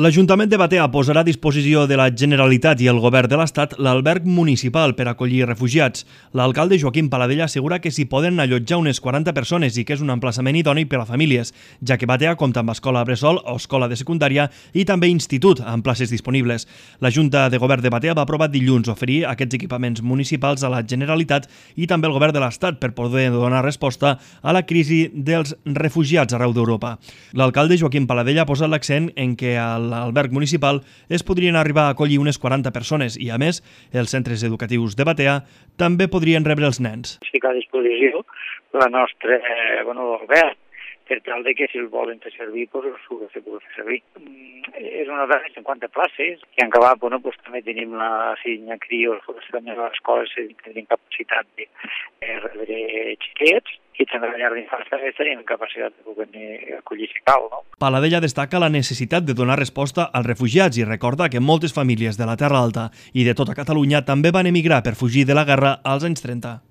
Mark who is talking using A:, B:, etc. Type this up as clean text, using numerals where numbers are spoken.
A: L'Ajuntament de Batea posarà a disposició de la Generalitat i el Govern de l'Estat l'alberg municipal per acollir refugiats. L'alcalde Joaquim Paladella assegura que s'hi poden allotjar unes 40 persones i que és un emplaçament idoni per a famílies, ja que Batea compta amb escola bressol o escola de secundària i també institut amb places disponibles. La Junta de Govern de Batea va aprovar dilluns oferir aquests equipaments municipals a la Generalitat i també al Govern de l'Estat per poder donar resposta a la crisi dels refugiats arreu d'Europa. L'alcalde Joaquim Paladella ha posat l'accent en que l'alberg municipal es podrien arribar a acollir unes 40 persones i, a més, els centres educatius de Batea també podrien rebre els nens.
B: Ficar a disposició la nostra alberg per tal de que si el volen fer servir, doncs ho de fer servir. És una de les 50 places i en acabat també tenim la Signa Crios, també les escoles que tenim capacitat de rebre xiquets i també a la llar d'infants també tenim capacitat de poder acollir si cal, no?
A: Paladella destaca la necessitat de donar resposta als refugiats i recorda que moltes famílies de la Terra Alta i de tota Catalunya també van emigrar per fugir de la guerra als anys 30.